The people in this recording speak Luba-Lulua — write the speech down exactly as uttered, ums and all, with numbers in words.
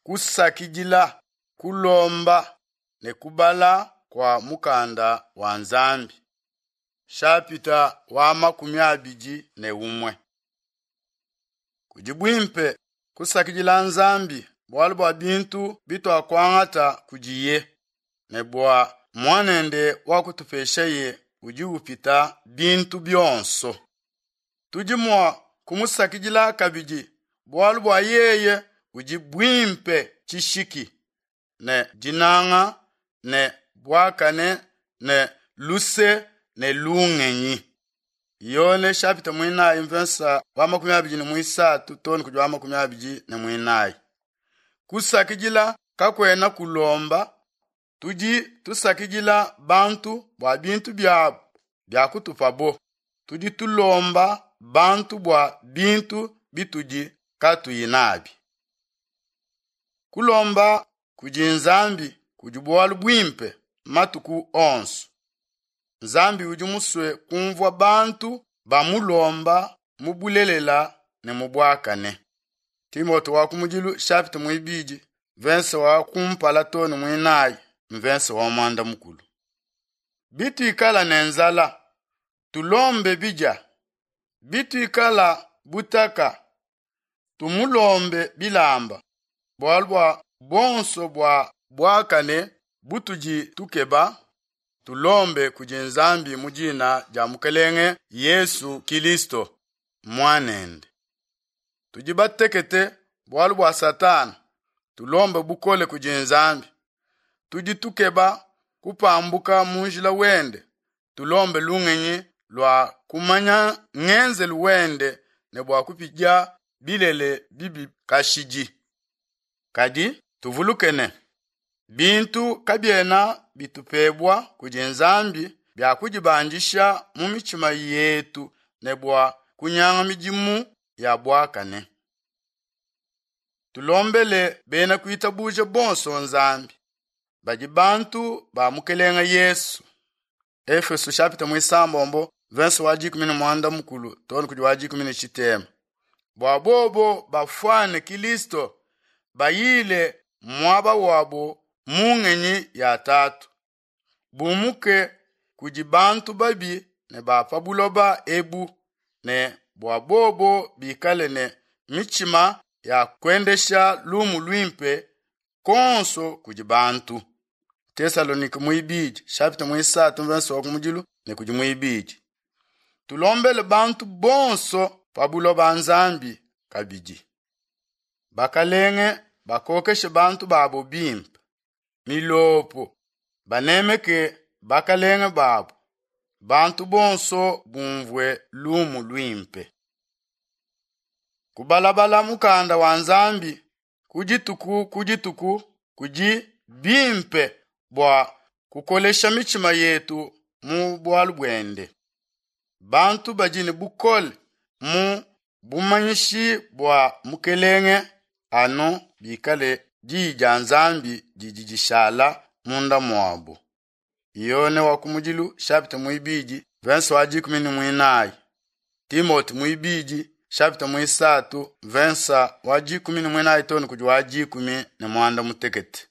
kusakidila, kulomba ne kubala kua mukanda wa Nzambi. Shapita wa makumi abidi ne umue. Kudi buimpe kusakidila Nzambi bualu bua bintu bituakuangata kudiye ne bua muanende wakutupeshaye udi upita bintu bionso. Tudi mua kumusakidila kabidi bualu bua yeye udi buimpe tshishiki ne dinanga ne buakane ne luse ne lungenyi. Yone shapita muinayi mvensa wa makumi abidi ne muisatu too ne kudi wa makumi abidi ne muinayi. Kusakidila kakuena kulomba, tudi tusakidila bantu bua bintu biabu biakutupabo. Tudi tulomba bantu bua bintu bitudi katuyi nabi. Kulomba kudi Nzambi kudi bualu buimpe matuku onso. Nzambi udi musue kumvua bantu bamulomba mu bulelela ne mu buakane. Timote wa kumudilu chapitre muibidi verse wa kumpala too ne muinayi mverse wa mwanda mukulu. Bituikala ne nzala tulombe bidia, bituikala butaka tumulombe bilamba, bualu bua bonso bua buakane butudi tukeba tulombe kudi Nzambi mu dina dia Mukelenge Yesu Kilisto muanende. Tudi batekete bualu bua Satana, tulombe bukole kudi Nzambi. Tudi tukeba kupambuka mu njila wende, tulombe lungenyi lua kumanya ngenzelu wende ne bua kupidia bilele bibi kashidi. Kadi tuvuluke ne bintu kabiena bitupebua kudi Nzambi bia kudibandisha mu mitshima yetu ne bua kunyanga midimu ya buakane. Tulombele bena kuitabuja bonso Nzambi badi bantu ba Mukelenga Yesu. Efeso chapitre muisambombo verse wa dikumi ne mwanda mukulu too ne kudi wa dikumi ne tshitema. Bua bobo bafuane Kilisto bayile muaba wabo mu ngenyi ya tatu. Bumuke kudi bantu babi ne ba pa buloba ebu ne bua bobo bikale ne mitshima ya kuendesha lumu luimpe konso kudi bantu. Tesalonike muibidi chapitre muisatu verse wa kumudilu ne kudi muibidi. Tulombele bantu bonso pa buloba Nzambi kabidi. Bakalenge bakokeshe bantu babo bimpe. Milopo banemeke bakalenge babo. Bantu bonso bumvue lumu luimpe. Kubalabala mukanda wa Nzambi ku dituku ku dituku kudi bimpe bua kukolesha mitshima yetu mu bualu buende. Bantu badi ne bukole mu bumanyishi bua Mukelenge anu bikale diyi dia Nzambi didi dishala munda muabo. Yone wa kumudilu chapitre muibidi verse wa dikumi ne muinayi. Timote muibidi chapitre muisatu verse wa dikumi ne muinayi too ne kudi wa dikumi ne mwanda mutekete.